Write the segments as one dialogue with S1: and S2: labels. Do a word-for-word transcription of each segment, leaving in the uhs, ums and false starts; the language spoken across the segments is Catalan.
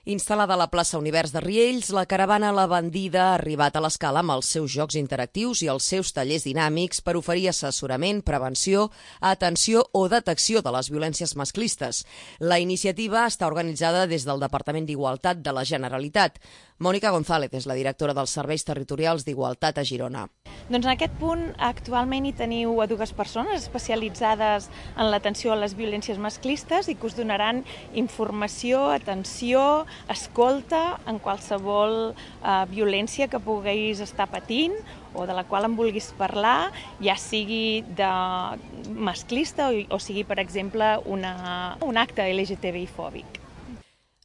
S1: Instal·lada a la plaça Univers de Riells, la caravana La Bandida ha arribat a l'Escala amb els seus jocs interactius i els seus tallers dinàmics per oferir assessorament, prevenció, atenció o detecció de les violències masclistes. La iniciativa està organitzada des del Departament d'Igualtat de la Generalitat. Mònica González és la directora dels Serveis Territorials d'Igualtat a Girona.
S2: Doncs en aquest punt actualment hi teniu a dues persones especialitzades en l'atenció a les violències masclistes i que us donaran informació, atenció, escolta en qualsevol eh, violència que puguis estar patint o de la qual en vulguis parlar, ja sigui de masclista o, o sigui, per exemple, una, un acte L G T B I fòbic.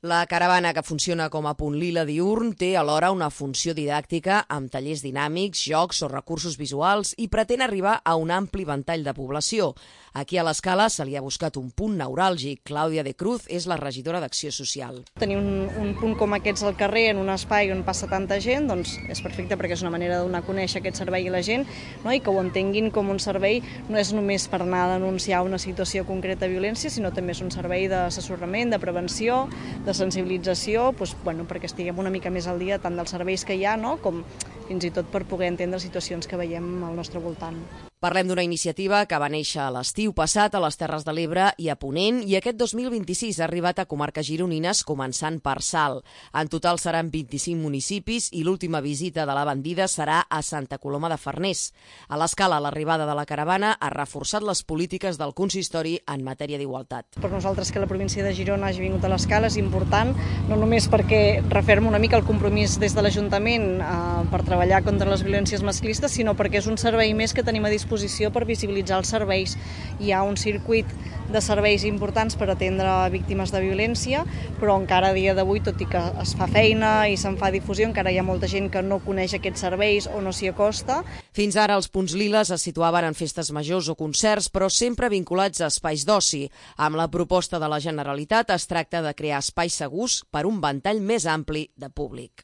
S1: La caravana, que funciona com a punt lila diürn, té alhora una funció didàctica amb tallers dinàmics, jocs o recursos visuals i pretén arribar a un ampli ventall de població. Aquí a l'Escala se li ha buscat un punt neuràlgic. Clàudia de Cruz és la regidora d'Acció Social.
S3: Tenir un, un punt com aquests al carrer, en un espai on passa tanta gent, doncs és perfecte perquè és una manera de donar a conèixer aquest servei a la gent, no? I que ho entenguin com un servei no és només per anar a denunciar una situació concreta de violència, sinó també és un servei d'assessorament, de prevenció, de sensibilització, doncs, bueno, perquè estiguem una mica més al dia tant dels serveis que hi ha, no? Com fins i tot per poder entendre situacions que veiem al nostre voltant.
S1: Parlem d'una iniciativa que va néixer a l'estiu passat a les Terres de l'Ebre i a Ponent i aquest dos mil vint-i-sis ha arribat a comarques gironines començant per Salt. En total seran vint-i-cinc municipis i l'última visita de la Bandida serà a Santa Coloma de Farners. A l'Escala, l'arribada de la caravana ha reforçat les polítiques del consistori en matèria d'igualtat.
S3: Per nosaltres que la província de Girona hagi vingut a l'Escala és important, no només perquè referma una mica el compromís des de l'Ajuntament eh, per treballar contra les violències masclistes, sinó perquè és un servei més que tenim a disposició per visibilitzar els serveis. Hi ha un circuit de serveis importants per atendre víctimes de violència, però encara a dia d'avui, tot i que es fa feina i se'n fa difusió, encara hi ha molta gent que no coneix aquests serveis o no s'hi acosta.
S1: Fins ara els punts liles es situaven en festes majors o concerts, però sempre vinculats a espais d'oci. Amb la proposta de la Generalitat es tracta de crear espais segurs per un ventall més ampli de públic.